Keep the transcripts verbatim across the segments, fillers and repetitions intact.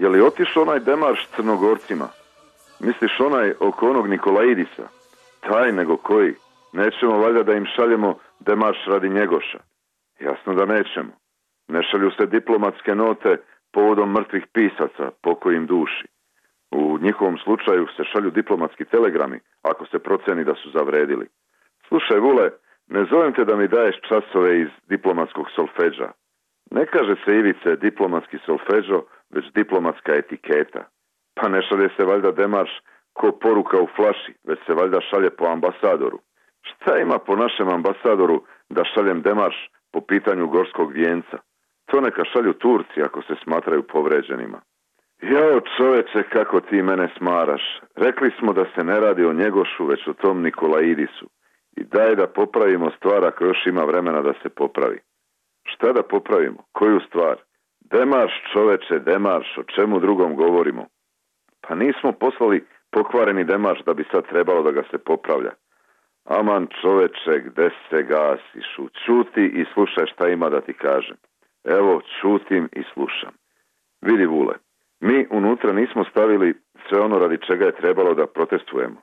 Je li otišao onaj demarš s Crnogorcima? Misliš onaj oko onog Nikolaidisa? Taj nego koji? Nećemo valjda da im šaljemo demarš radi Njegoša? Jasno da nećemo. Ne šalju se diplomatske note povodom mrtvih pisaca, pokojim duši. U njihovom slučaju se šalju diplomatski telegrami, ako se proceni da su zavredili. Slušaj, Vule, ne zovem te da mi daješ časove iz diplomatskog solfeđa. Ne kaže se, Ivice, diplomatski solfeđo, već diplomatska etiketa. Pa ne šalje se valjda demarš ko poruka u flaši, već se valjda šalje po ambasadoru. Šta ima po našem ambasadoru da šaljem demarš po pitanju gorskog vijenca? To neka šalju Turci ako se smatraju povređenima. Jao, čoveče, kako ti mene smaraš. Rekli smo da se ne radi o Njegošu, već o tom Nikolaidisu. I daj da popravimo stvar ako još ima vremena da se popravi. Šta da popravimo? Koju stvar? Demarš, čoveče, demarš, o čemu drugom govorimo? Pa nismo poslali pokvareni demarš da bi sad trebalo da ga se popravlja. Aman, čoveče, gde se gasiš? Čuti i slušaj šta ima da ti kažem. Evo, čutim i slušam. Vidi, Vule, mi unutra nismo stavili sve ono radi čega je trebalo da protestujemo.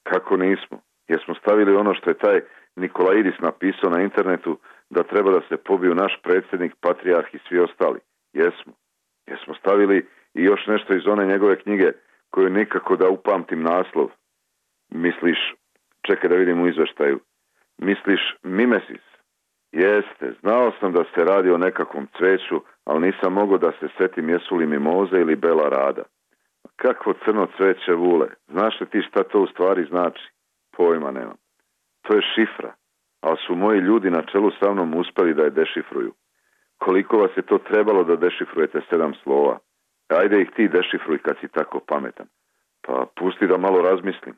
Kako nismo? Jer smo stavili ono što je taj Nikolaidis napisao na internetu da treba da se pobiju naš predsjednik, patrijarh i svi ostali. Jesmo. Jesmo stavili i još nešto iz one njegove knjige koju nikako da upamtim naslov. Misliš, čekaj da vidim u izveštaju, misliš Mimesis? Jeste, znao sam da se radi o nekakvom cveću, ali nisam mogao da se setim jesu li mimoze ili bela rada. Kakvo crno cveće, Vule? Znaš li ti šta to u stvari znači? Pojma nemam. To je šifra, ali su moji ljudi na čelu sa mnom uspeli da je dešifruju. Koliko vas je to trebalo da dešifrujete sedam slova? Ajde ih ti dešifruj kad si tako pametan. Pa pusti da malo razmislim.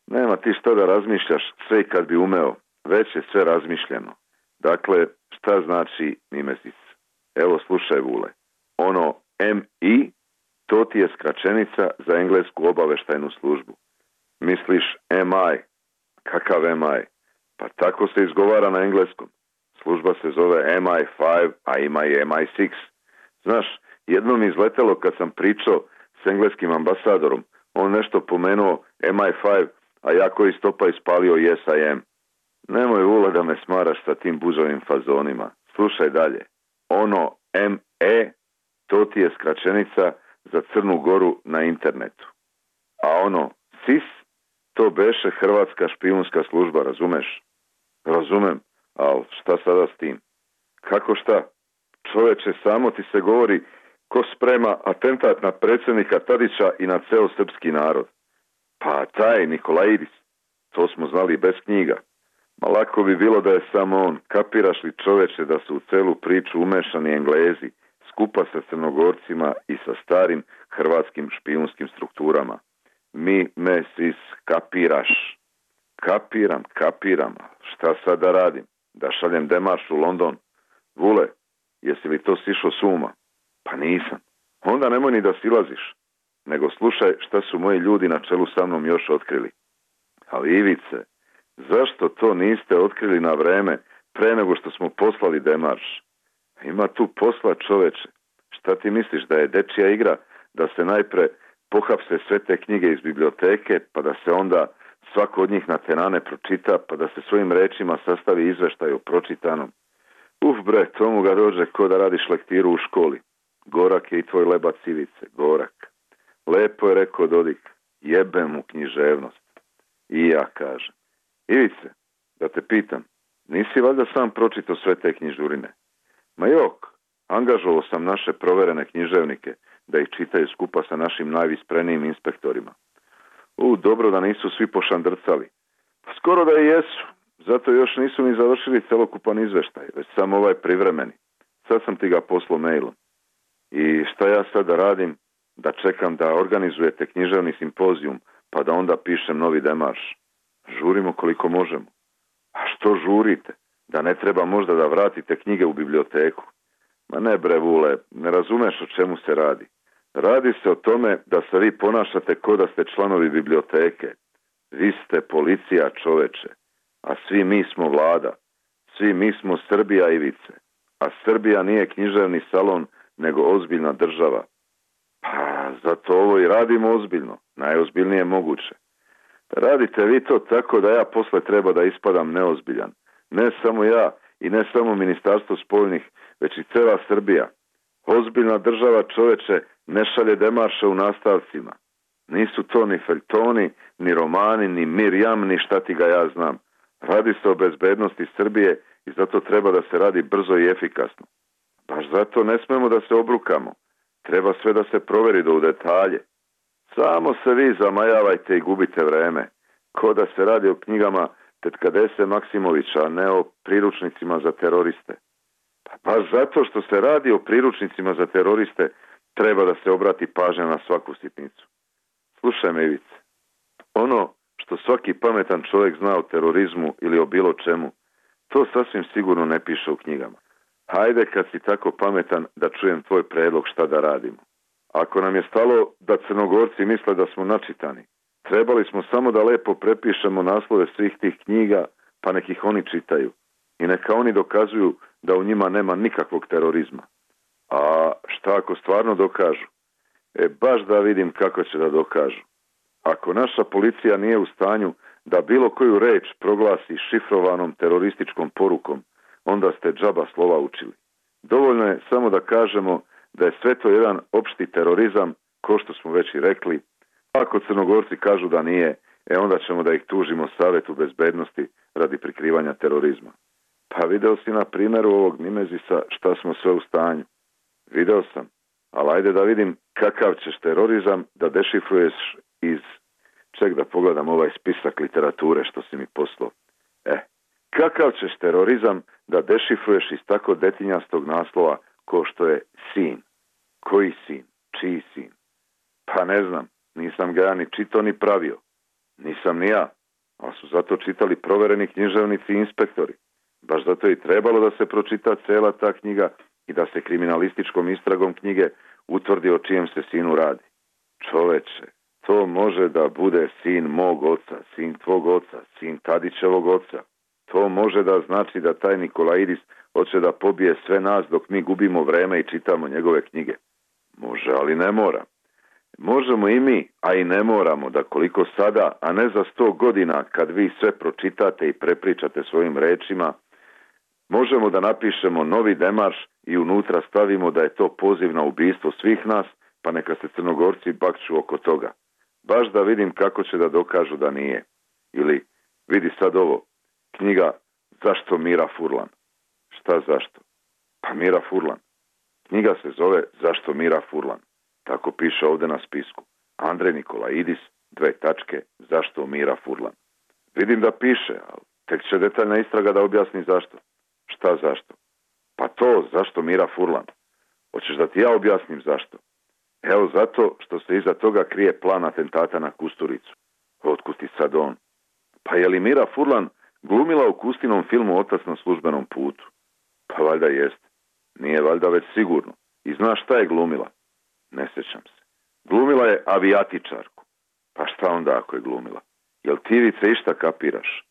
Nema ti šta da razmišljaš, sve i kad bi umeo. Već je sve razmišljeno. Dakle, šta znači Mimesis? Evo slušaj, Vule. Ono M I, to ti je skraćenica za englesku obaveštajnu službu. Misliš M I? Kakav M I? Pa tako se izgovara na engleskom. Služba se zove M I pet, a ima i M I šest. Znaš, jednom mi izletelo kad sam pričao s engleskim ambasadorom. On nešto pomenuo M I pet, a ja koji stopa ispalio Yes I am. Nemoj, Vula, da me smaraš sa tim buzovim fazonima. Slušaj dalje. Ono M E, to ti je skraćenica za Crnu Goru na internetu. A ono S I S, to beše Hrvatska špijunska služba, razumeš? Razumem, ali šta sada s tim? Kako šta? Čoveče, samo ti se govori ko sprema atentat na predsjednika Tadića i na ceo srpski narod. Pa taj Nikolaidis, to smo znali bez knjiga. Ma lako bi bilo da je samo on. Kapiraš li, čoveče, da su u celu priču umešani Englezi, skupa sa Crnogorcima i sa starim hrvatskim špijunskim strukturama? Mi, me, sis, kapiraš. Kapiram, kapiram. Šta sad da radim? Da šaljem demarš u London? Vule, jesi li to sišao s uma? Pa nisam. Onda nemoj ni da silaziš. Nego slušaj šta su moji ljudi na čelu sa mnom još otkrili. Ali Ivice, zašto to niste otkrili na vreme pre nego što smo poslali demarš? Ima tu posla, čoveče. Šta ti misliš, da je dečija igra da se najpre pohapse sve te knjige iz biblioteke, pa da se onda svako od njih na tenane pročita, pa da se svojim rečima sastavi izveštaj o pročitanom? Uf bre, tomu ga dođe ko da radiš lektiru u školi. Gorak je i tvoj lebac, Ivice, gorak. Lepo je rekao Dodik, jebem mu književnost. I ja kažem. Ivice, da te pitam, nisi valjda sam pročitao sve te knjižurine? Ma jok, angažovao sam naše proverene književnike da ih čitaju skupa sa našim najvisprenijim inspektorima. U, dobro da nisu svi pošandrcali. Pa skoro da i jesu, zato još nisu ni završili celokupan izveštaj, već samo ovaj privremeni. Sad sam ti ga poslao mailom. I šta ja sad da radim? Da čekam da organizujete književni simpozijum, pa da onda pišem novi demarš. Žurimo koliko možemo. A što žurite? Da ne treba možda da vratite knjige u biblioteku? Ma ne bre, Vule, ne razumeš o čemu se radi. Radi se o tome da se vi ponašate ko da ste članovi biblioteke. Vi ste policija, čoveče, a svi mi smo vlada. Svi mi smo Srbija, Ivice. A Srbija nije književni salon, nego ozbiljna država. Pa zato ovo i radimo ozbiljno, najozbiljnije moguće. Radite vi to tako da ja posle treba da ispadam neozbiljan. Ne samo ja i ne samo Ministarstvo spoljnih, već i cela Srbija. Ozbiljna država, čoveče, ne šalje demarše u nastavcima. Nisu to ni feljtoni, ni romani, ni Mirjam, ni šta ti ga ja znam. Radi se o bezbednosti Srbije i zato treba da se radi brzo i efikasno. Baš zato ne smemo da se obrukamo. Treba sve da se proveri do u detalje. Samo se vi zamajavajte i gubite vreme. Ko da se radi o knjigama tetka Dese Maksimovića, a ne o priručnicima za teroriste. Pa baš zato što se radi o priručnicima za teroriste, treba da se obrati pažnja na svaku sitnicu. Slušaj me, Ivice, ono što svaki pametan čovjek zna o terorizmu ili o bilo čemu, to sasvim sigurno ne piše u knjigama. Hajde kad si tako pametan da čujem tvoj predlog šta da radimo. Ako nam je stalo da Crnogorci misle da smo načitani, trebali smo samo da lepo prepišemo naslove svih tih knjiga, pa nek ih oni čitaju. I neka oni dokazuju da u njima nema nikakvog terorizma. A šta ako stvarno dokažu? E, baš da vidim kako će da dokažu. Ako naša policija nije u stanju da bilo koju reč proglasi šifrovanom terorističkom porukom, onda ste džaba slova učili. Dovoljno je samo da kažemo da je sve to jedan opšti terorizam, ko što smo već i rekli. Ako Crnogorci kažu da nije, e onda ćemo da ih tužimo Savetu bezbednosti radi prikrivanja terorizma. Pa video si na primjeru ovog Nimezisa šta smo sve u stanju. Video sam, ali ajde da vidim kakav ćeš terorizam da dešifruješ iz... Ček da pogledam ovaj spisak literature što si mi poslao. E, kakav ćeš terorizam da dešifruješ iz tako detinjastog naslova ko što je sin? Koji sin? Čiji sin? Pa ne znam, nisam ga ja ni čitao ni pravio. Nisam ni ja, ali su zato čitali provereni književnici i inspektori. Baš zato i trebalo da se pročita cela ta knjiga i da se kriminalističkom istragom knjige utvrdi o čijem se sinu radi. Čoveče, to može da bude sin mog oca, sin tvog oca, sin Tadićevog oca. To može da znači da taj Nikolaidis hoće da pobije sve nas dok mi gubimo vreme i čitamo njegove knjige. Može, ali ne mora. Možemo i mi, a i ne moramo, da koliko sada, a ne za sto godina, kad vi sve pročitate i prepričate svojim rečima, možemo da napišemo novi demarš i unutra stavimo da je to poziv na ubistvo svih nas, pa neka se Crnogorci bakću oko toga. Baš da vidim kako će da dokažu da nije. Ili, vidi sad ovo, knjiga Zašto Mira Furlan? Šta zašto? Pa Mira Furlan. Knjiga se zove Zašto Mira Furlan. Tako piše ovdje na spisku. Andrej Nikolaidis, dve tačke, Zašto Mira Furlan. Vidim da piše, ali tek će detaljna istraga da objasni zašto. Šta zašto? Pa to, zašto Mira Furlan. Hoćeš da ti ja objasnim zašto? Evo zato što se iza toga krije plan atentata na Kusturicu. Otkud ti sad on? Pa je li Mira Furlan glumila u Kustinom filmu Otac na službenom putu? Pa valjda jest. Nije valjda već sigurno. I znaš šta je glumila? Ne sjećam se. Glumila je avijatičarku. Pa šta onda ako je glumila? Jel ti Ivice išta kapiraš?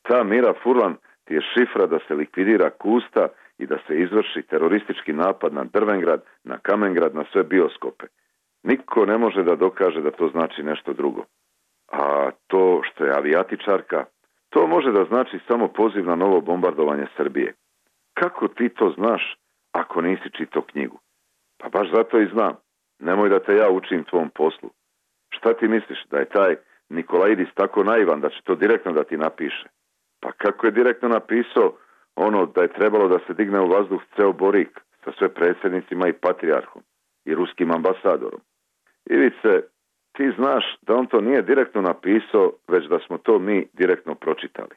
Ta Mira Furlan ti je šifra da se likvidira Kusta i da se izvrši teroristički napad na Drvengrad, na Kamengrad, na sve bioskope. Niko ne može da dokaže da to znači nešto drugo. A to što je avijatičarka, to može da znači samo poziv na novo bombardovanje Srbije. Kako ti to znaš ako nisi čitao knjigu? Pa baš zato i znam. Nemoj da te ja učim tvom poslu. Šta ti misliš, da je taj Nikolaidis tako naivan da će to direktno da ti napiše? Pa kako je direktno napisao ono da je trebalo da se digne u vazduh ceo Borik sa sve predsjednicima i patrijarhom i ruskim ambasadorom? Ivice, ti znaš da on to nije direktno napisao, već da smo to mi direktno pročitali.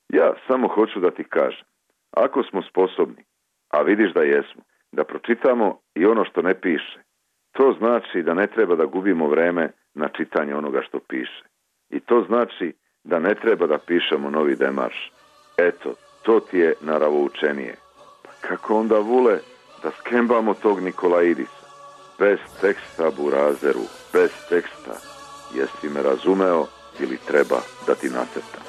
Ja samo hoću da ti kažem, ako smo sposobni, a vidiš da jesmo, da pročitamo i ono što ne piše, to znači da ne treba da gubimo vreme na čitanje onoga što piše. I to znači da ne treba da pišemo novi demarš. Eto, to ti je naravoučenije. Pa kako onda, Vule, da skembamo tog Nikolaidisa? Bez teksta, burazeru, bez teksta. Jesi me razumeo ili treba da ti nacrtam?